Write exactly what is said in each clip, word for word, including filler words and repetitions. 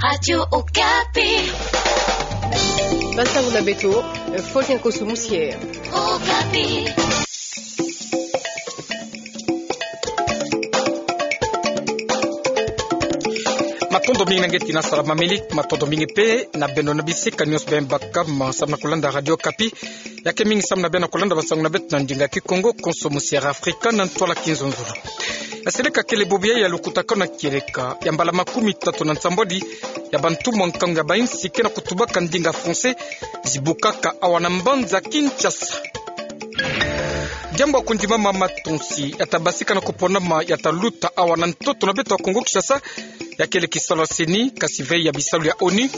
Radio Okapi. Bansangu na beto, Faustin Kosso Moussier. Okapi. Matondo mingi na nge tina salama mingi, matondo mingi mpe na beno na bisika nionso beno bakama samu na kulanda Radio Okapi. Ya ke mingi samu na beno kulanda bansangu na beto na ndinga Kikongo, konso mu Sierra Africa, na ntwala Kinzonzolo. Ya seleka kele bubu ya lukutakanu na kieleka ya mbala makumitatu na nsambwadi ya bantumwa nkangu ya bainsi ke na kutubaka ndinga français zibukaka awa na mbanza Kinshasa. Diambu ya kundimama matonsi ya tabasika na kuponama ya taluta awa na ntoto na beto ya Kongo Kinshasa, ya kele kisalu ya CENI, kasi ve ya bisalu ya ONU,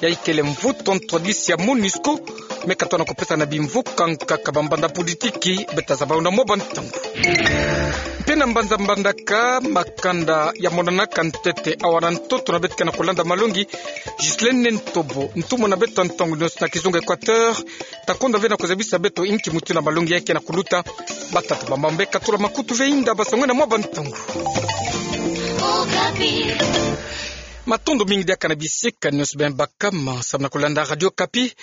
ya ikele mvutu ntwadisi ya MONUSCO, me katona kupesa na bimvuka nkaka bambanda politiki, beta zaba yo na mwa bantangu. Mpe na mbanza Mbandaka, makanda ya monanaka ntete awa na ntoto na beto ke na kulanda malongi, Ghislaine Ntobo, ntumwa na beto ntangu nionso na kizunga Equateur, ta konda ve na kuzabisa beto inki mutindu na malongi ya ke na kuluta. Batata, bamama, katula makutu ve, inda bansangu na mwa bantangu. Matondo mingi diaka na bisika nionso beno bakama samu na kulanda Radio Okapi.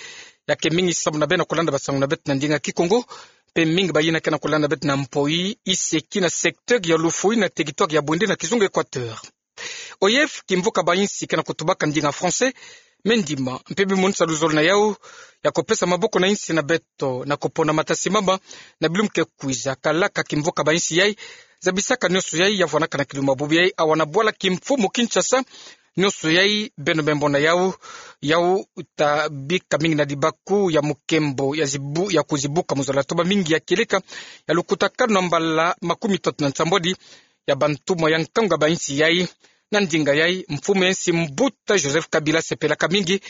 Ya ke mingi samu na beno kulanda bansangu na beto na ndinga Kikongo, mpe mingi bayina ke na kulanda beto na mpoi, iseki na secteur ya Lufuni na territoire ya Bwindi na kizunga Equateur. Oyev, kimvuka bainsi ke na kutubaka ndinga français, me ndima mpe bimonisa luzolo na yau ya kupesa maboko na insi na beto na kupona matasimama na bilumbu ke kwiza. Kalaka kimvuka bainsi yai, zabisaka nionso yai ya vwanaka na kilumbu ya bubu yai awa na bwala kimfumu Kinshasa. Nionso yai beno me mona yau, yau ta bika mingi na dibaku ya mukembo ya zibu-, ya kuzibuka mu zola toba mingi ya kieleka ya lukutakanu na mbala makumitatu na nsambwadi ya bantumwa ya nkangu ya bainsi yai. Na ndinga yai, mfumu ya insi Mbuta Joseph Kabila asepelaka mingi.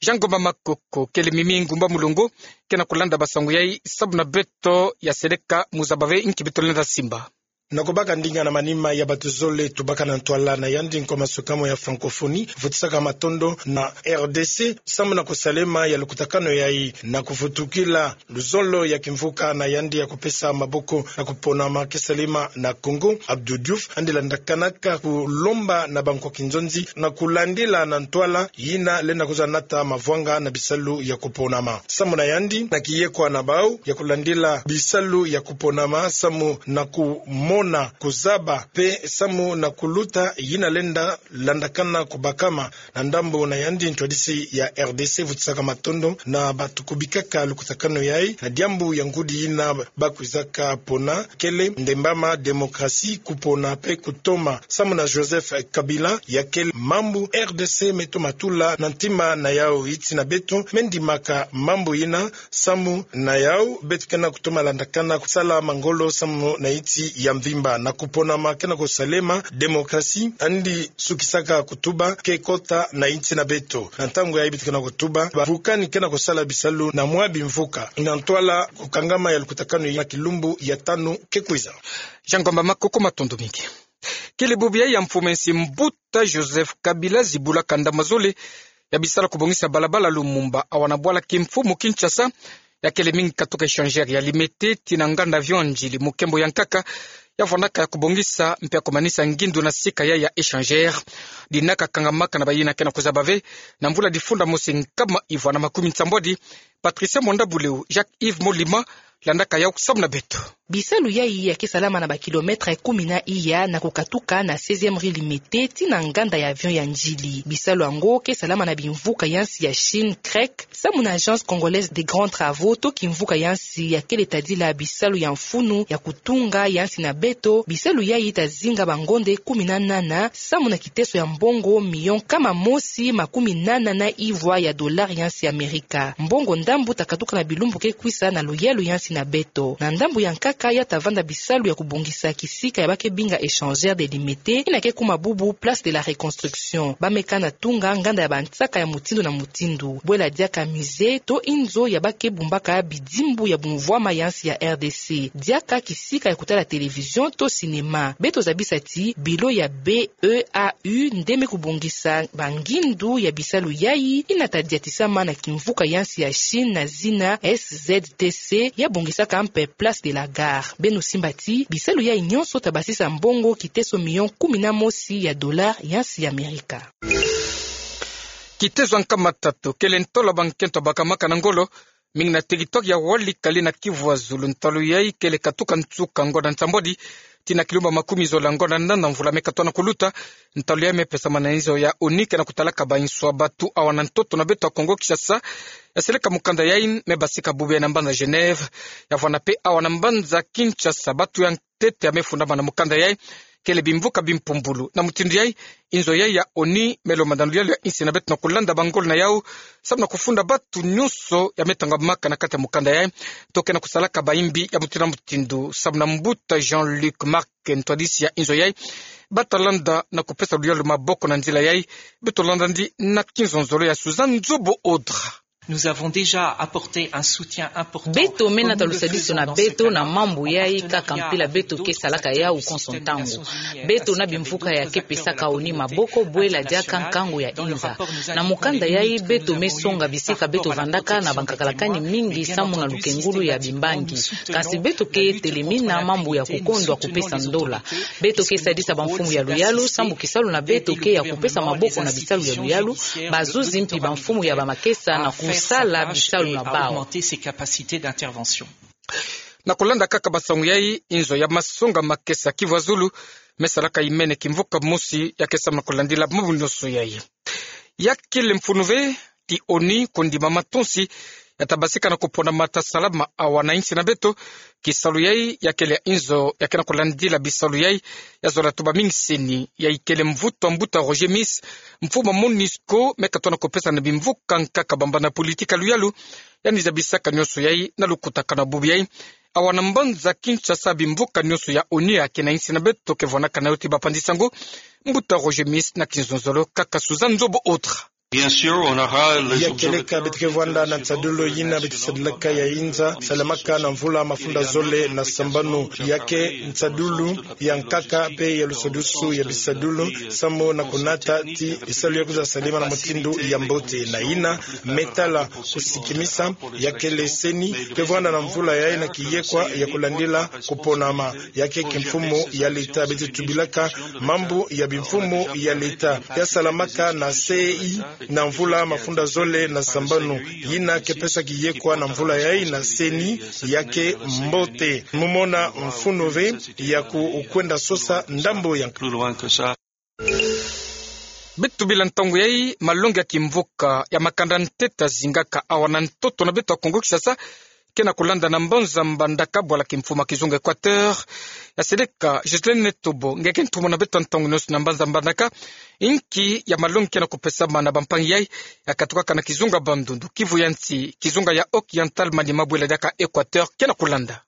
Jean Ngomba Makoko, kele mimi ngumba mulongo, ke na kulanda bansangu yai samu na beto, ya seleka mu zaba ve inki beto lenda simba. Na kubaka ndinga na manima ya bato zole tubaka na ntwala na yandi nkwa masukamo ya francophonie, vutisaka matondo na R D C samu na kusalema ya lukutakanu yai na kuvutukila luzolo ya kimvuka na yandi ya kupesa maboko na kuponama ke salema na Congo. Abdou Diouf andi landakanaka kulomba na bankwa kinzonzi na kulandila na ntwala yina lenda kwiza nata mavwanga na bisalu ya kuponama. Samu na yandi, na kiyekwa na bau ya kulandila bisalu ya kuponama samu na kumona, kuzaba mpe samu na kuluta yina lenda landakana kubakama na ndambu na yandi ntwadisi ya R D C vutisaka matondo na bato kubikaka lukutakanu yai na diambu ya ngudi yina bakwizaka pona, kele ndembama, démocratie, kupona mpe kutoma. Samu na Joseph Kabila, ya kele mambu R D C me toma tula na ntima na yau. Insi na beto me ndimaka mambu yina, samu na yau beto ke na kutoma landakana kusala mangolo samu na insi ya mvimba na kuponama ke na kusalema, démocratie, andi sukisaka kutuba ke kota na insi na beto. Na ntangu yai beto ke na kutuba, bavukani ke na kusala bisalu na mwa bimvuka na ntwala kukangama ya lukutakanu ya kilumbu ya tanu ke kwiza. Jean Ngomba Makoko, matondo mingi. Kele bubu yai ya mfumu ya insi Mbuta Joseph Kabila zibulaka ndambu zole ya bisalu ya kubongisa balabala Lumumba awa na bwala kimfumu Kinshasa. Ya kele mingi katuka échangeur ya Limete tii na nganda avion ya Ndjili, mukembo ya nkaka ya vwanaka ya kubongisa mpe ya kumanisa ngindu na sika yai ya échangeur. Dina kakangamaka na bayina ke na kuzaba ve na mvula difunda mosi nkama ivwa na makumi nsambwadi. Patricia Mwanda Buleu, Jacques Yves Molima, landaka yau samu na beto. Bisalu yai ya ke salama na ba kilomètre kumi na iya na kukatuka na seizième rue Limete tii na nganda ya avion ya Ndjili. Bisalu yango ke salama na bimvuka ya insi ya Chine, CREC, samu na Agence Congolaise des Grands Travaux, to kimvuka ya insi ya kele tadila bisalu ya mfunu ya kutunga ya insi na beto. Bisalu yai ta zinga bangonde kumi na nana, samu na kiteso ya mbongo million nkama mosi makumi nana na ivwa ya dollar ya insi ya Amerika. Mbongo ndambu ta katuka na bilumbu ke kwisa na luyalu ya insi na beto. Na ndambu ya nkaka, ya ta vanda bisalu ya kubongisa kisika ya ba ke binga échangeur de Limete, yina ke kuma bubu Place de la Reconstruction. Ba meka na tunga nganda ya bansaka ya mutindu na mutindu. Bwela diaka musée to inzo ya ba ke bumbaka bidimbu ya bumvwama ya insi ya R D C. Diaka kisika ya kutala télévision to cinéma. Beto zabisa ti bilo ya B E A U nde me kubongisa bangindu ya bisalu yai, yina ta diatisama na kimvuka ya insi ya Chine na zina S Z T C, ya bongisaka mpe Place de la Gare. Beno simba ti bisalu yai nionso ta basisa mbongo kiteso million kumi na mosi ya dollar ya insi ya Amerika. Kitezo ya nkama tatu kele ntola bankento bakamaka na ngolo, mingi na territoire ya Walikale na Kivu Azulu. Ntalu yai kele katuka nsuka ngonda nsambwadi tii na kilumba makumi zole na ngonda nana mvula me katoa na kuluta. Ntalu yai me pesamana na inzo ya ONU ke na kutalaka ba inswa batu awa na ntoto na beto ya Kongo Kinshasa. Ya seleka mukanda yai me basika bubu yai na mbanza Genève. Ya vwanda pe awa na mbanza Kinshasa, batu ya ntete ya me fundamana mukanda yai kele bimvuka bimpumbulu. Na mutindu yai, inzo yai ya ONU me lomba na luyalu ya insi na beto na kulanda bangolo na yau, samu na kufunda batu nyonso ya me tangamaka na kati ya mukanda yai, to ke na kusalaka bayimbi ya mutindu na mutindu, samu na mbuta Jean-Luc Marc, ntwadisi ya inzo yai. Bata landa na kupesa luyalu maboko na nzila yai. Beto landa ndi na kinzonzolo ya Suzanne Nzobo Audra. Nous avons déjà apporté un soutien important. Beto me nata lusadisu na beto na mambu yai kaka mpila beto ke salaka yau konso ntangu. Beto na bimvuka ya ke pesaka ONU maboko bwela diaka nkangu ya inza. Na mukanda yai beto me songa bisika beto vandaka na bankakalakani mingi samu na lukengulu ya bimbangi. Kasi beto ke telemina mambu ya kukondwa kupesa ndola. Beto ke sadisa bamfumu ya luyalu, sambu kisalu na beto ke ya kupesa maboko na bisalu ya luyalu, bazuzi mpi bamfumu ya bamakesa na kusala bisalu na bau. Na kulanda kaka masangu yai, inzo ya masonga makesa Kivu Azulu me salaka imene kimvuka mosi ya ke samu na kulandila mambu nyonso yai. Ya kele mfunu ve ti ONU kundima matonsi ya ta basika na kupona mata salama awa na insi na beto. Kisalu yai ya kele ya inzo ya ke na kulandila bisalu yai ya zola tuba mingi CENI. Yai kele mvutu a mbuta Roger Miss, mfumu a MONUSCO, me katoa na kupesa na bimvuka nkaka bambana politika luyalu, yandi zabisaka nyonso yai na lukutakanu bubu yai. Awa na mbanza Kinshasa, bimvuka nyonso ya ONU ya ke na insi na beto ke vwanakana yo ti bapandi sango. Mbuta Roger Miss na kinzonzolo kaka Suzanne Nzobo Audra. Bien sûr, on aura les... Ya kieleka beto ke vwanda na nsadulu yina beto sadilaka ya inza salamaka na mvula mafunda zole na sambanu. Ya ke nsadulu ya nkaka pe ya lusadisu ya bisadulu samu na kunata ti bisalu ya kwiza salama na mutindu ya mbote. Na yina me tala kusikimisa, ya kele CENI ke vwanda na mvula yai na kiyekwa ya kulandila kuponama. Ya ke kimfumu ya leta, beto tubilaka mambu ya bimfumu ya leta ya salamaka na CEI na mvula mafunda zole na sambanu. Yina ke pesa kiyekwa na mvula yai na CENI, ya ke mbote. Mu mona mfunu ve ya ku-, kwenda sosa ndambu ya nk- Beto bila ntangu yai, malongi ya kimvuka ya makanda ntete zingaka awa na ntoto na beto ya Kongo Kinshasa ke na kulanda na mbanza Mbandaka, bwala kimfumu a kizunga Equateur. Ya seleka Ghislaine Netobo, nge ke ntumwa na beto ntangu nyonso na mbanza Mbandaka. Inki ya malongi ke na kupesamana na bampangi yai ya katukaka na kizunga Bandundu, Kivu ya nsi, kizunga ya Occidental, manima bwela diaka Equateur ke na kulanda?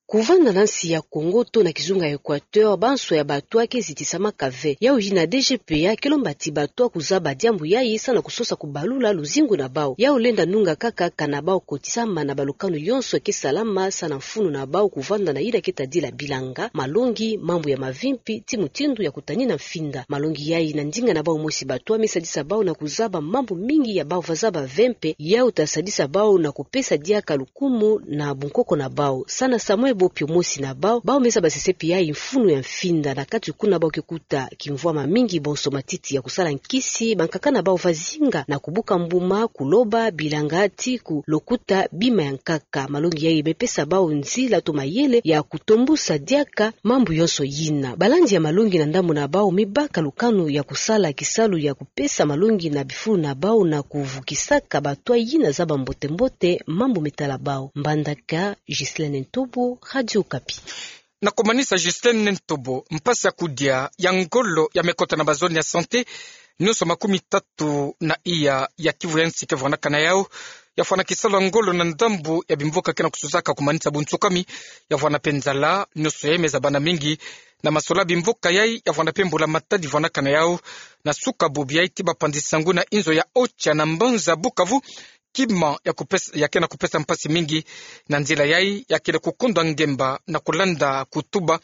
Kuvanda na nsi ya Kongo to na kizunga Equateur, banso ya bato ke zitisamaka ve. Yau yina DGPA ke lomba ti bato kuzaba diambu yai samu na kusosa kubalula luzingu na bau. Yau lenda nunga kaka kana bau kotisama na balukanu yonso ke salama samu na mfunu na bau kuvanda na yina ke tadila bilanga, malongi, mambu ya mavimpi, ti mutindu ya kutanina mfinda. Malongi yai na ndinga na bau mosi bato me sadisa bau na kuzaba mambu mingi ya bau va zaba ve mpe, yau ta sadisa bau na kupesa diaka lukumu na bunkoko na bau. Samu na samwe bo pio mosi na bau, bau me zaba sesepi yai mfunu ya mfinda, na kati kuna bau ke kuta kimvwama mingi, bonso matiti ya kusala nkisi, bankaka na bau va zinga na kubuka mbuma, kuloba, bilanga, ti kulokuta bima ya nkaka. Malongi yai me pesa bau nzila to mayele ya kutombusa diaka mambu yonso yina. Balandi ya malongi na ndambu na bau me baka lukanu ya kusala kisalu ya kupesa malongi na bifulu na bau na kuvukisaka bato yina zaba mbote-mbote mambu me tala bau. Mbandaka, Ghislaine Ntobo, Radio Okapi. Na kumanisa, Ghislaine Ntobo, mpasi ya kudia ya ngolo ya me kota na bazone ya santé nyonso makumi tatu na iya ya Kivu ya nsi ke vwanakana yau. Ya fwana kisalu ya ngolo na ndambu ya bimvuka ke na kusuzaka kumanisa bunsukami. Ya fwana mpe nzala, nyonso yai me zabana mingi. Na masola bimvuka yai, ya fwana mpe mbula-matadi vwanakana yau. Na suka bubu yai, ti bapanzi-nsangu na inzo ya Ocha na mbanza Bukavu, kima ya kupes-, ya ke na kupesa mpasi mingi. Na nzila yai, ya kele kukundwa ngemba na kulanda kutuba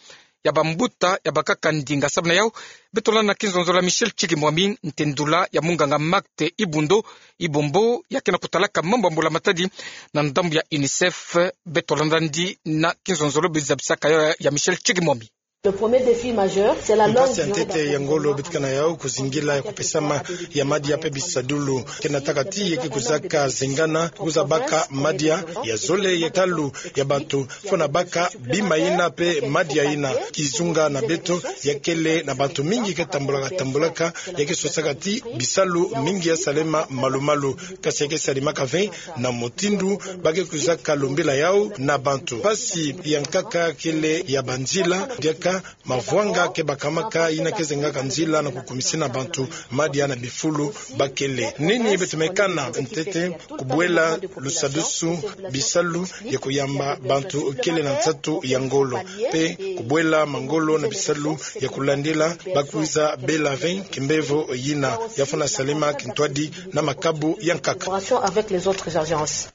ya bambuta ya bakaka ndinga. Samu na yau, beto landa na kinzonzolo ya Michel Tshikimwami, ntendula ya munganga Marthe Ibundo, Ibombo, ya ke na kutalaka mambu ya mbula-matadi na ndambu ya UNICEF. Beto landa ndi na kinzonzolo bizabisaka yau ya, ya Michel Tshikimwami. Le premier défi majeur, c'est la longue durée d'approvisionnement. Mpasi ya ntete ya ngolo beto ke na yau, kuzingila ya kupesama ya madia pe bisadulu. Ke nataka ti ye ke kwizaka zengana, kwiza baka madia ya zole ya talu ya bantu, fo na baka bima yina pe madia yina. Kizunga na beto, ya kele na bantu mingi ke tambulaka tambulaka, ya ke sosaka ti bisalu mingi ya salema malu-malu. Kasi ya ke salemaka ve na mutindu ba ke kwizaka lombila yau na bantu. Mpasi ya nkaka kele ya banzila, diaka mavwanga ke bakamaka, yina ke zengaka nzila na kukumisina bantu madia na bifulu ba kele. Nini beto me kana? Ntete, kubwela lusadusu bisalu ya kuyamba bantu kele na nsatu ya ngolo, pe kubwela mangolo na bisalu ya kulandila ba kwiza bela ve kimbevo yina, ya fo na salema kintwadi na makabu ya nkaka. Collaboration avec les autres agences.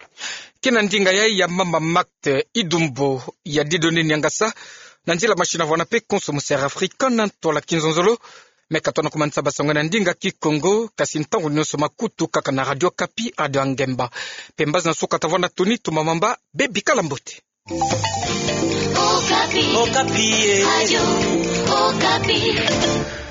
Kina ndinga yai ya mama Marthe Idumbo ya Dieudonné Niangasa, na nzila masini vwanda pe Konso mu Sierra Afrika na ntwala kinzonzolo. Me ka tona kumanisa basango na ndinga Kikongo, kasi ntangu nyonso makutu kaka na Radio Okapi, Radio ya Ngemba. Pe mbazi na suka tavwanda toni, tumamamba, bebikala mbote. Okapi. Okapi, eh. Radio Okapi.